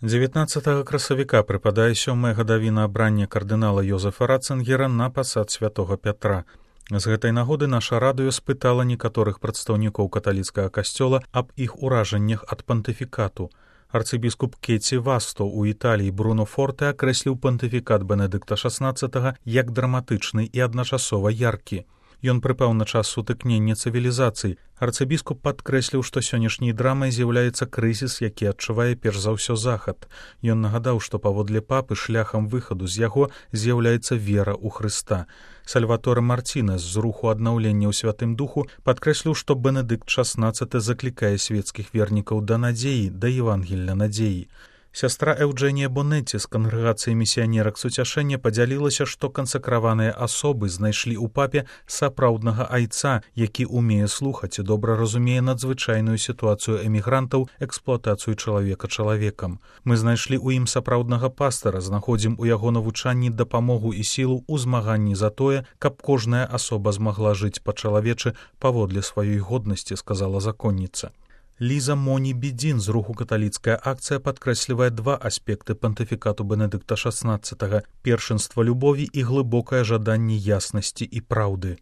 19 красавіка прыпадае 7-я гадавіна абрання кардынала Йозефа Ратцынгера на пасад святого Пятра. З гэтай нагоды наша радыё спытала некаторых прадстаўнікоў каталіцкага касцёла аб іх уражаннях ад пантыфікату. Арцыбіскуп Кетці Васто ў Італіі Бруно Форте акрэсліў пантыфікат Бенедыкта XVI як драматычны і адначасова яркі. Ён прыпаў на час сутыкнення цывілізацый. Арцыбіскуп падкрэсліў, што сённяшняй драмай з'яўляецца крызіс, які адчувае перш за ўсё захад. Ён нагадаў, што паводле папы шляхам выхаду з яго з'яўляецца вера ў Хрыста. Сальваторе Мартінес з руху аднаўлення ў святым духу падкрэсліў, што Бенедыкт XVI заклікае свецкіх вернікаў да надзеі, да Евангелля надзеі. Сястра Эўджэнія Бонетці з кангрэгацыі місіянерак суцяшэння падзялілася, што кансакраваныя асобы знайшлі ў папе сапраўднага айца, які ўмее слухаць і добра разумее надзвычайную сітуацыю эмігрантаў, эксплуатацыю чалавека чалавекам. Мы знайшлі ў ім сапраўднага пастара, знаходзім у яго навучанні дапамогу і сілу ў змаганні за тое, каб кожная асоба змагла жыць па-чалавечы паводле сваёй годнасці, сказала законніца. Ліза Моні Бідзін з руху каталіцкая акцыя падкрэслівае два аспекты пантыфікату Бенедыкта XVI – першынства любові і глыбокае жаданне яснасці і праўды.